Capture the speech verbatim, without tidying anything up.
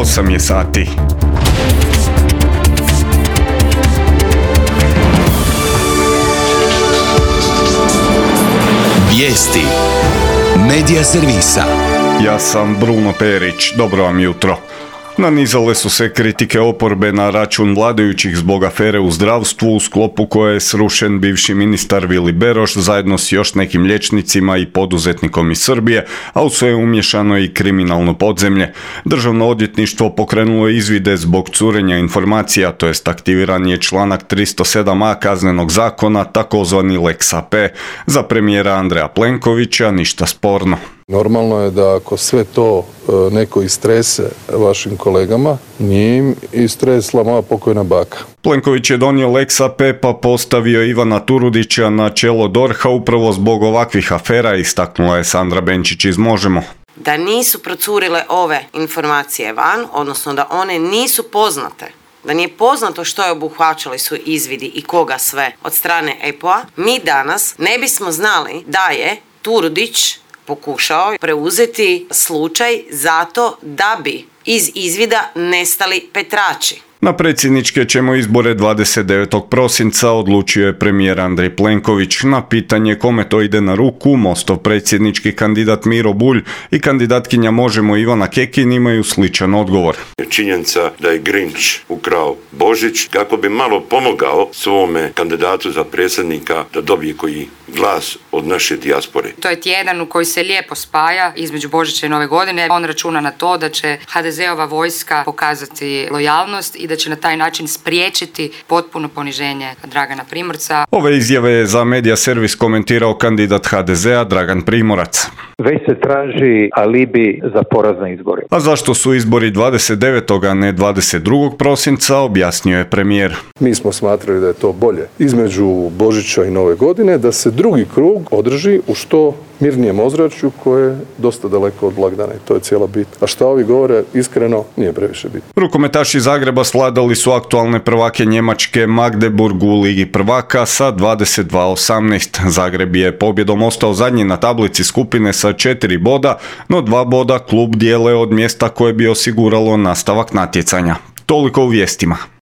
osam je sati. Vijesti Medija servisa. Ja sam Bruno Perić, dobro vam jutro. Nanizale su se kritike oporbe na račun vladajućih zbog afere u zdravstvu u sklopu koje je srušen bivši ministar Vili Beroš zajedno s još nekim liječnicima i poduzetnikom iz Srbije, a u sve je umješano i kriminalno podzemlje. Državno odvjetništvo pokrenulo je izvide zbog curenja informacija, to jest aktiviran je članak tristo sedam a Kaznenog zakona, takozvani Lex A P. Za premijera Andreja Plenkovića ništa sporno. Normalno je da ako sve to e, neko istrese vašim kolegama, nije im istresla moja pokojna baka. Plenković je donio Lex A P pa postavio Ivana Turudića na čelo D O R H-a upravo zbog ovakvih afera, istaknula je Sandra Benčić iz Možemo. Da nisu procurile ove informacije van, odnosno da one nisu poznate, da nije poznato što je obuhvaćali su izvidi i koga sve od strane E P O-a, mi danas ne bismo znali da je Turudić pokušao preuzeti slučaj zato da bi iz izvida nestali Petrači. Na predsjedničke ćemo izbore dvadeset devetog prosinca, odlučio je premijer Andrej Plenković. Na pitanje kome to ide na ruku, Mostov predsjednički kandidat Miro Bulj i kandidatkinja Možemo Ivana Kekin imaju sličan odgovor. Činjenica da je Grinch ukrao Božić kako bi malo pomogao svome kandidatu za predsjednika da dobije koji glas od naše dijaspore. To je tjedan u koji se lijepo spaja između Božića i Nove godine. On računa na to da će ha de zeova vojska pokazati lojalnost i da će na taj način spriječiti potpuno poniženje Dragana Primorca. Ove izjave je za Medija servis komentirao kandidat ha de zea Dragan Primorac. Već se traži alibi za poraz na izborima. A zašto su izbori dvadeset devetog a ne dvadeset drugog prosinca, objasnio je premijer. Mi smo smatrali da je to bolje između Božića i Nove godine, da se drugi krug održi u što mirnijem ozračju koje je dosta daleko od blagdana i to je cijela bit. A šta ovi govore, iskreno, nije previše bit. Rukometaši Zagreba svladali su aktualne prvake Njemačke Magdeburg u Ligi prvaka sa dvadeset dva osamnaest. Zagreb je pobjedom ostao zadnji na tablici skupine sa četiri boda, no dva boda klub dijele od mjesta koje bi osiguralo nastavak natjecanja. Toliko u vijestima.